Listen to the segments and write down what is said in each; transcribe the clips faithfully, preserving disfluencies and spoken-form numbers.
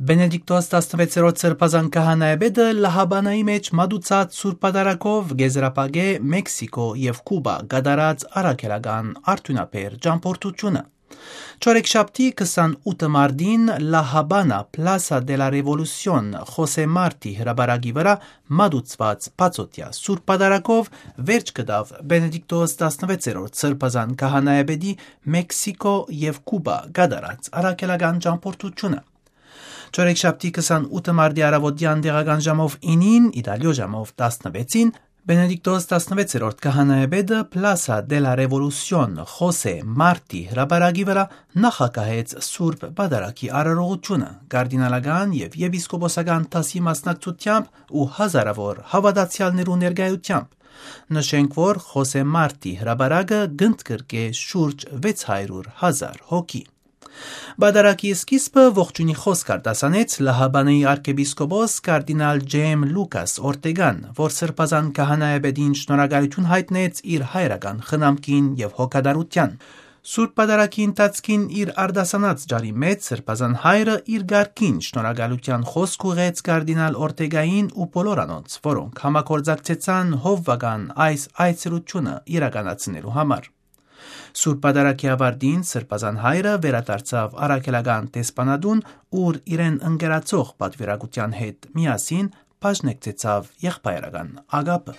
Բենեդիկտոս տասնվեցերորդ սրբազան քահանայապետը լահաբանայի մեջ մատուցած սուրբ պատարագով գեզրապագե Մեքսիկո եւ Կուբա գդարած առաքելական արդյունաբեր ճամփորդությունը։ Չորեքշաբթի քսանութ մարտին La Habana Plaza de la Revolución Խոսե Մարտի հրաբարակի վրա մատուցված բացօթյա սուրբ պատարագով վերջ կդավ Բենեդիկտոս տասնվեցերորդ սրբազան քահանայապետի Մեքսիկո եւ Կուբա գդարած առաքելական ճամփորդությունը։ Չորեքշաբթի քսանութ մարտի առավոտյան տեղական ժամով ինին, իտալիո ժամով տասնվեցին, Բենեդիկտոս տասնվեցերորդ քահանայապետը Plaza de la Revolución Խոսե Մարտի հրաբարակի վրա նախակահեց սուրբ պատարագի արարողությունը կարդինալական եւ եպիսկոպոսական դասի մասնակցությամբ ու հազարավոր հավատացյալներու ներկայությամբ։ Նշենք, որ Խոսե Մարտի հրաբարակը գնդկրկե շուրջ վեց հարյուր հազար հոգի։ Բադարակի սկիզբը ողջունի խոսք արտասանեց Լահաբանեի arczepiskopos կարդինալ Ջեյմ Լուկաս Օրտեգան, որ սրբազան քահանայապետին շնորհակալություն հայտնեց իր հայրական խնամքին եւ հոգատարության։ Սուրբ Պատարագի ընթացքին իր արտասանած ջարի մեջ սրբազան հայրը իր գարկին շնորհակալության խոսք ուղեց կարդինալ Օրտեգային ու բոլոր անոնց, որոնք համագործակցեցան հովվական այս այցելությունը իրականացնելու համար։ Սուրբ Պատարագի ավարտին սրբազան հայրը վերադարձավ առաքելական տեսփանադուն, ուր իրեն ընկերացող պատվիրակության հետ միասին բաժնեկցեցավ եղբայրական ագապը։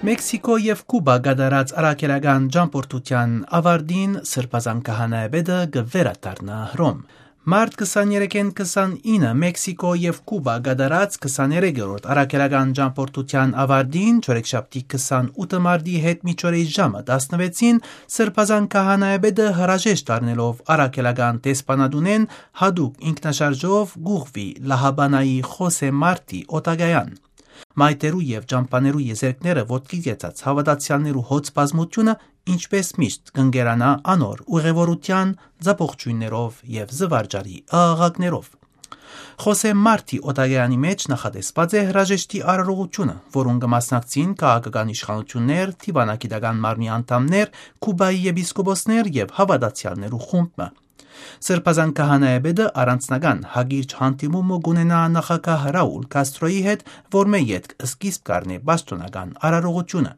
Մեքսիկո եւ Կուբա գդարած առաքելական ճամփորդության ավարտին սրբազան քահանայապետը կվերադառնա Հռոմ։ Մարտ քսաներեքին քսանինը Մեքսիկո եւ Կուբա գդարած քսաներեքերորդ առաքելական ճամփորդության ավարտին չորեքշաբթի քսանութ մարտի հետ միջօրեի ժամը տասնվեցին սրբազան քահանայապետը հրաժեշտ առնելով առաքելական տեսփանադունեն հadoop ինքնաշարժով գուղվի Լահաբանայի Խոսե Մարտի օտագայան։ Մայթերու եւ ճամփաներու եզերքները ոտքի գեցած հավատացյալներու հոծ բազմությունը ինչպես միշտ կընկերանա անոր ուղևորության ձապողջույններով եւ զվարճալի աղաղակներով։ Խոսե Մարտի օտագայանի մեջ նախատեսված է հրաժեշտի արարողությունը, որոնց կմասնակցին քաղաքական իշխանություններ, դիվանագիտական մարմնի անդամներ, Կուբայի եպիսկոպոսներ եւ հավատացյալներու խումբը։ Սրբազան քահանայապետը առանձնական հագիրճ հանդիմումը կունենա նախագահ Ռաուլ Կաստրոյի հետ, որ մե յետք սկիզբ կառնի պաշտոնական արարողությունը։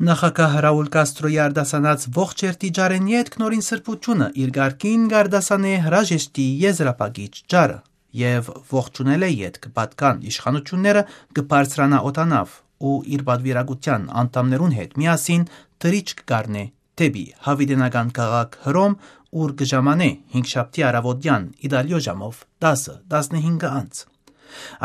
Նախագահ Ռաուլ Կաստրոյի արտասանած ողջ երթի ջարեն յետք նորին սրբությունը իր գարկին գարդասանե հրաժեշտի եզրապագիչ ջարը եւ ողջունել է յետք պատկան իշխանությունները կբարձրանա օտանավ ու իր պատվիրակության անդամներուն հետ միասին թրիչք կառնե դեպի հավիտենական քաղաք Հռոմ, ուր կժամանե հինգշաբթի առավոտյան իտալիո ժամով տասը տասնհինգ անց։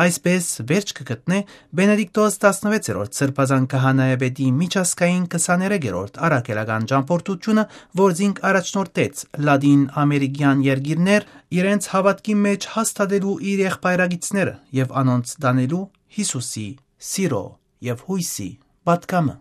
Այսպես վերջ կգտնե Բենեդիկտոս տասնվեցերորդ սրբազան քահանայապետի միջազգային քսաներեքերորդ առաքելական ճամփորդությունը, որ զինք առաջնորդեց լադին ամերիկյան երկիրներ իրենց հավատքի մեջ հաստատելու իր եղբայրագիցները եւ անոնց դանելու Հիսուսի սիրո եւ հույսի պատգամը։